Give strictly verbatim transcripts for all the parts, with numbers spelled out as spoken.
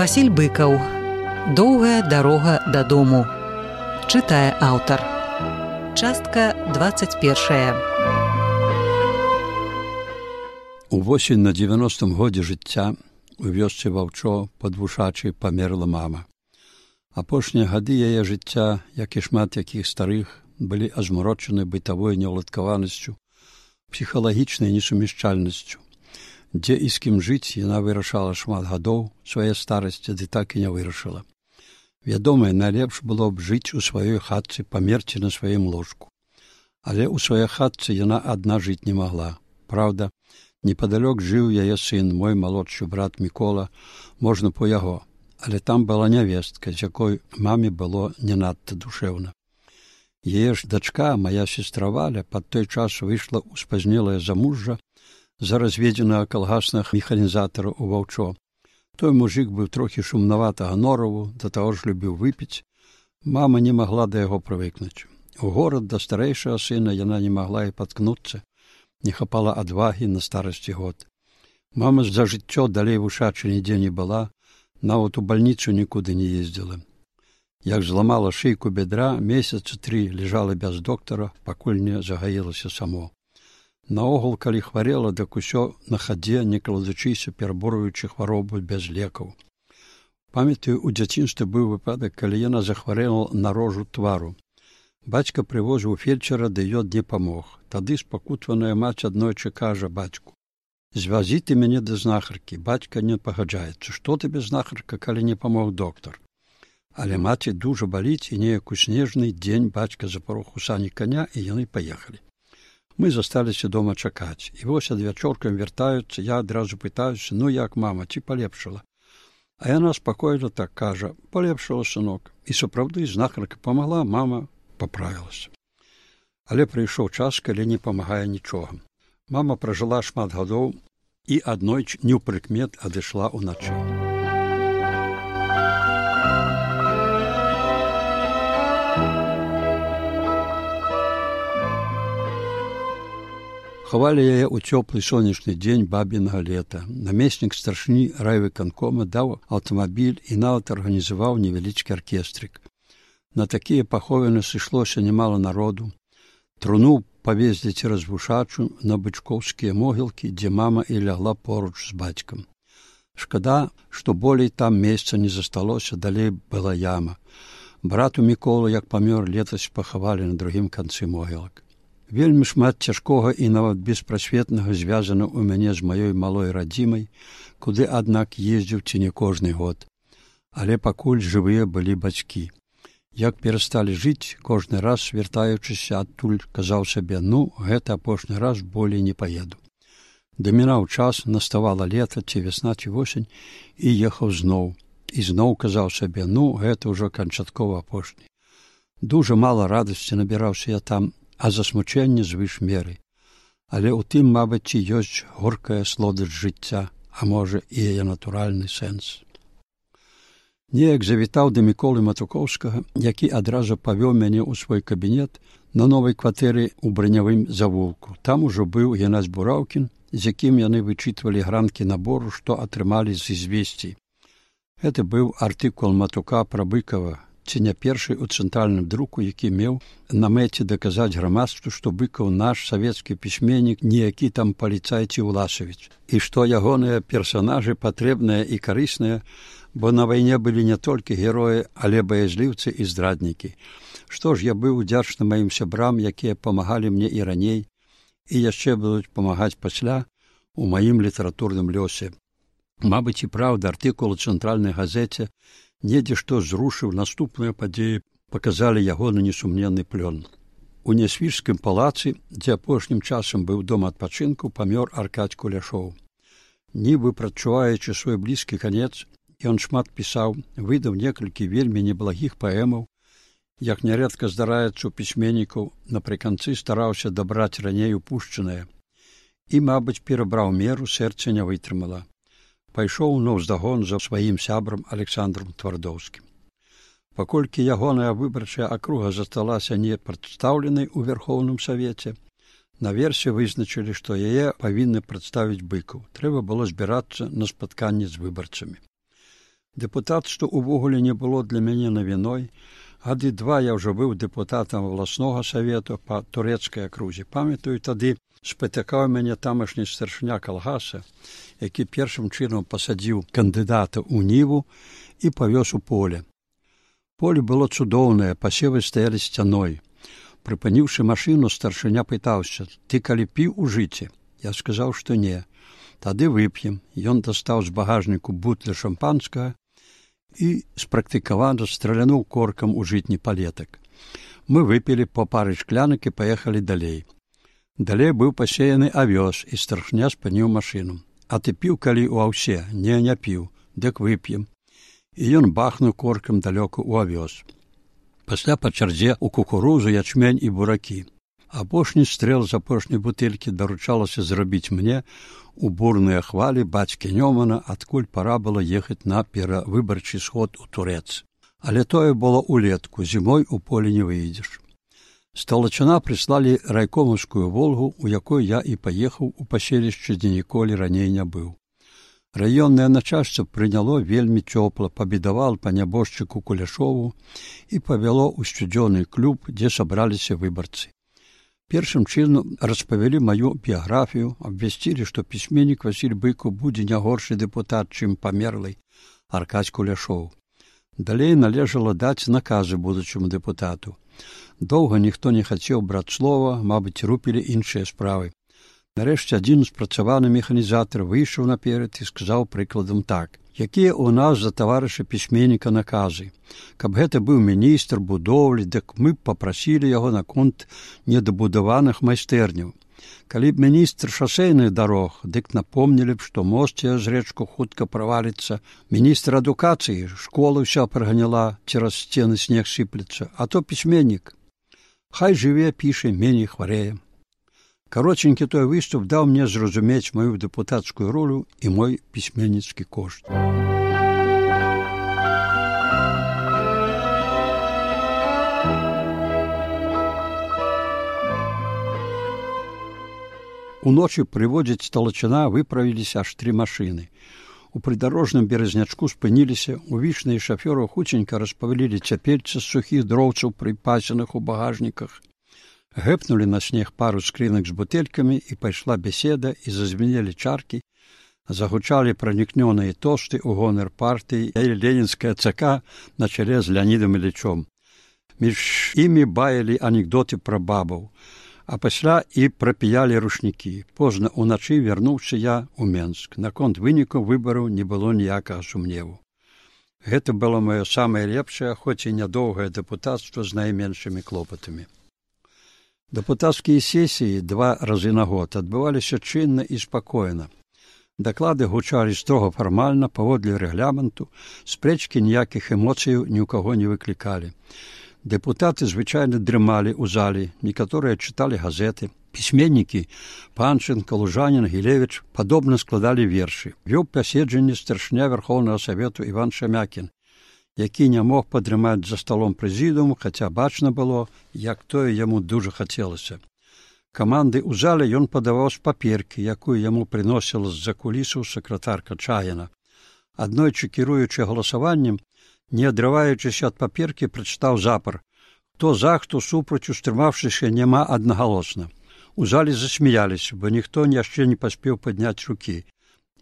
Васіль Быкаў. Доўгая дарога дадому. Чытае аўтар. Частка двадцать першая. Увосень на дзевяностым годзе жыцця у вёсцы Ваўчо пад Вушачай памерла мама. Апошнія гады яе жыцця, як і шмат якіх старых, былі азмарочаны бытавой неўладкаванасцю, псіхалагічнай несумяшчальнасцю. Дзе і з кім жыць, яна вырашала шмат гадоў свае старасці, ды так і не вырашыла. Вядома, найлепш было б жыць у сваёй хатцы, памерці на сваім ложку. Але ў сваёй хатцы яна адна жыць не магла. Праўда, непадалёк жыў яе сын, мой малодшы брат Мікола, можна по яго. Але там была нявестка, з якой маме было не надта душэўна. Яе ж дачка, моя сестра Валя, пад той час выйшла ў спазнелае замужжа за разведзенага калгаснага механізатара ў Ваўчо. Той мужик быў трохі шумнаватага нораву, да таго ж любіў выпіць. Мама не магла да яго прывыкнуць. У горад да старэйшага сына яна не магла і паткнуцца, не хапала адвагі на старасці год. Мама за жыццё далей Вушачы нідзе не была, нават у бальніцу нікуды не ездзіла. Як зламала шыйку бедра, месяцы тры лежала без доктара, пакуль не загаілася само. Наогул, калі хварэла, дак усё на хадзе, не кладучыся, пераборуючы хваробу без лекаў. Памятаю, у дзяцінстве быў выпадак, калі яна захварэла на рожу твару. Бацька прывозіў фельчара, ды ён не памог. Тады спакутваная маці аднойчы кажа бацьку: «Звязі ты мяне да знахаркі». Бацька не пагаджаецца. «Што табе знахарка, калі не памог доктар?» Але маці дужа баліць, і неяк у снежны дзень бацька запарох у сані каня, і яны паехалі. Мы засталіся дома чакаць. І вось адвячоркам вяртаюцца, я адразу пытаюся: «Ну як, мама, ці палепшала?» А яна спакойна так кажа: «Палепшала, сынок». І сапраўды знахарка памагла, мама паправілася. Але прыйшоў час, калі не памагае нічога. Мама пражыла шмат гадоў і аднойчы неўпрыкмет адышла ўначы. Хавалі яе ў цёплы сонечны дзень бабінага лета. Намеснік старшыні райвыканкома даў аўтамабіль і нават арганізаваў невялічкі аркестрык. На такія паховіны сышлося немало народу. Труну павезлі цераз Вушачу на бычкоўскія могілкі, дзе мама і лягла поруч з бацькам. Шкада, што болей там месца не засталося, далей была яма. Брату Міколу, як памёр, летась пахавалі на другім канцы могілак. Вельмі шмат цяжкога і нават беспрасветнага звязана ў мяне з маёй малой радзімай, куды, аднак, ездзіў ці не кожны год. Але пакуль жывыя былі бацькі. Як перасталі жыць, кожны раз, вяртаючыся адтуль, казаў сабе: «Ну, гэта апошні раз, болей не паеду». Дамінаў час, наставала лета, ці вясна, ці восень, і ехаў зноў. І зноў казаў сабе: «Ну, гэта ўжо канчаткова апошні». Дужа мала радасці набіраўся я там, а засмучэнне звыш меры. Але ў тым, мабыць, і ёсць горкая слодасць жыцця, а можа, і яе натуральны сэнс. Неяк завітаў да Міколы Матукоўскага, які адразу павёў мяне ў свой кабінет на новай кватэры ў бранявым завулку. Там ужо быў Геннадзь Бураўкін, з якім яны вычытвалі гранкі набору, што атрымалі з ізвесцій. Гэта быў артыкул Матука пра Быкава, ці не першы ў цэнтральным друку, які меў на мэце даказаць грамадству, што Быкаў наш савецкі пісьменнік, не які там паліцай ці Уласавіч, і што ягоныя персанажы патрэбныя і карысныя, бо на вайне былі не толькі героі, але баязліўцы і здраднікі. Што ж, я быў удзячны маім сябрам, якія памагалі мне і раней, і яшчэ будуць памагаць пасля у маім літаратурным лёсе. Мабыць, і праўда, артыкул у цэнтральнай газеце недзе што зрушыў наступныя падзеі, паказалі ягоны несумненны плён. У Нясвіжскім палацы, дзе апошнім часам быў дом адпачынку, памёр Аркадзь Куляшоў. Нібы прадчуваючы свой блізкі канец, ён шмат пісаў, выдаў некалькі вельмі неблагіх паэмаў, як нярэдка здараецца ў пісьменнікаў, напрыканцы стараўся дабраць раней упушчанае. І, мабыць, перабраў меру, сэрца не вытрымала. Пайшоў наўздагон за сваім сябрам Александром Твардоўскім. Паколькі ягоная выбарчая акруга засталася не прадстаўленай у Верхоўным Савеце, наверсе вызначылі, што яе павінны прадставіць Быкаў. Трэба было збірацца на спатканне з выбарцамі. Дэпутацтва ўвогуле не было для мяне навіной. Гады два я ўжо быў дэпутатам абласнога савету па турэцкай акрузе. Памятаю, тады спатыкаў мяне тамашні старшыня калгаса, які першым чынам пасадзіў кандыдата ў ніву і павёз у поле. Поле было цудоўнае, пасевы стаялі сцяной. Прыпыніўшы машыну, старшыня пытаўся: «Ты калі піў у жыце?» Я сказаў, што не. «Тады вып'ем». Ён дастаў з багажніку бутля шампанскага і спрактыкавана стралянуў коркам у жытні палетак. Мы выпілі па пары шклянак і паехалі далей. Далей быў пасеяны авёс, і старшыня спыніў машыну. «А ты піў калі ў аўсе?» «Не, не піў». «Дык вып'ем». І ён бахнуў коркам далёку ў авёс. Пасля па чарзе ў кукурузу, ячмень і буракі. Апошні стрэл з апошняй бутэлькі даручалася зрабіць мне у бурныя хвалі бацькі Нёмана, адкуль пара было ехаць на перавыбарчы сход у Турэц. Але тое было ўлетку, зімой у поле не выйдзеш. З Талачына прыслалі райкомаўскую «Волгу», у якой я і паехаў у паселішча, дзе ніколі раней не быў. Раённае начальство прыняло вельмі цёпла, пабедавал па нябожчыку Куляшову і павяло ў сцюдзёны клуб, дзе сабраліся выбарцы. Першым чынам распавялі маю біяграфію, абвясцілі, што пісьменнік Васіль Быкаў будзе не горшы дэпутат, чым памерлы Аркадзь Куляшоў. Далей належала даць наказы будучаму дэпутату. Доўга ніхто не хацеў браць слова, мабыць, рупілі іншыя справы. Нарэшце адзін спрацаваны механізатар выйшаў наперад і сказаў прыкладам так: «Якія ў нас за таварыша пісьменніка наказы? Каб гэта быў міністр будоўлі, дык мы б папрасілі яго наконт недабудаваных майстэрняў. Калі б міністр шасейных дарог, дык напомнілі б, што мост цераз рэчку хутка праваліцца. Міністр адукацыі, школа ўся праганяла, цераз сцены снег сыплецца, а то пісьменнік. Хай жыве, піша, меней хварэе». Каротенькі той выступ даў мне зразумець маю дэпутацкую ролю і мой пісьменніцкі кошт. Уночы прыводзяць з Талачына выправіліся аж тры машыны. У прыдарожным беразнячку спыніліся, увічныя шафёры хуценька распавялілі цяпельца з сухіх дроўцаў, прыпасеных у багажніках. Гэпнулі на снег пару скрынак з бутэлькамі, і пайшла беседа, і зазвенелі чаркі, загучалі пранікнёныя тосты ў гонар партыі і ленінская ЦК на чале з Леонідам Ілічом. Між імі баялі анекдоты пра бабаў, а пасля і прапіялі рушнікі. Позна ўначы вярнуўся я ў Менск. Наконт вынікаў выбараў не было ніякага сумневу. Гэта было маё самае лепшае, хоць і нядоўгае дэпутацтва з найменшымі клопатамі. Дэпутацкія сесіі два разы на год адбываліся чынна і спакойна. Даклады гучалі строга фармальна, паводле рэгламенту, спрэчкі ніякіх эмоцыяў ні ў каго не выклікалі. Дэпутаты звычайна дрымалі ў зале, некаторыя чыталі газеты. Пісьменнікі Панченка, Лужанін, Гілевіч падобна складалі вершы. Вёў паседжанне старшыня Верхоўнага Савету Іван Шамякін, які не мог падрымаць за сталом прэзідыуму, хаця бачна было, як тое яму дужа хацелася. Каманды ў зале ён падаваў з паперкі, якую яму прыносіла з-за кулісаў сакратарка Чаяна. Аднойчы, кіруючы галасаваннем, не адрываючыся ад паперкі, прачытаў запар: «Хто за, хто супраць, устрымаўшыся, няма аднагалосна». У зале засмяяліся, бо ніхто яшчэ не паспеў падняць рукі.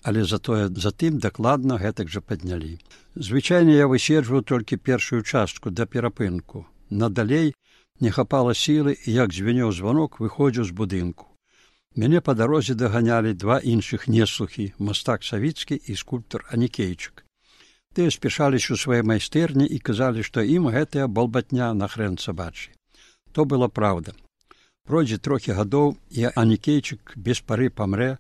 Але затое затым дакладна гэтак жа паднялі. Звычайна я выседжваў толькі першую частку да перапынку. Надалей не хапала сілы, і як звенеў званок, выходзіў з будынку. Мяне па дарозе даганялі два іншых неслухі, мастак Савіцкі і скульптар Анікейчык. Тыя спяшаліся ў свае майстэрні і казалі, што ім гэтая балбатня на хрэн сабачы. То была праўда. Пройдзе трохі гадоў, і Анікейчык без пары памрэ,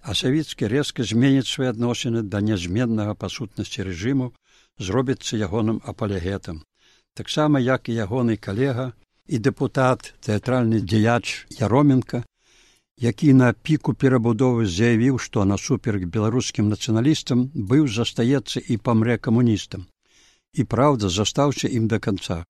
а Савіцкі рэзка зменіць свае адносіны да нязменнага па сутнасці рэжыму, зробіцца ягоным апалегетам. Таксама, як і ягоны калега і дэпутат, тэатральны дзеяч Яроменка, які на піку перабудовы заявіў, што насуперак беларускім нацыяналістам быў, застаецца і памрэ камуністам. І праўда, застаўся ім да канца.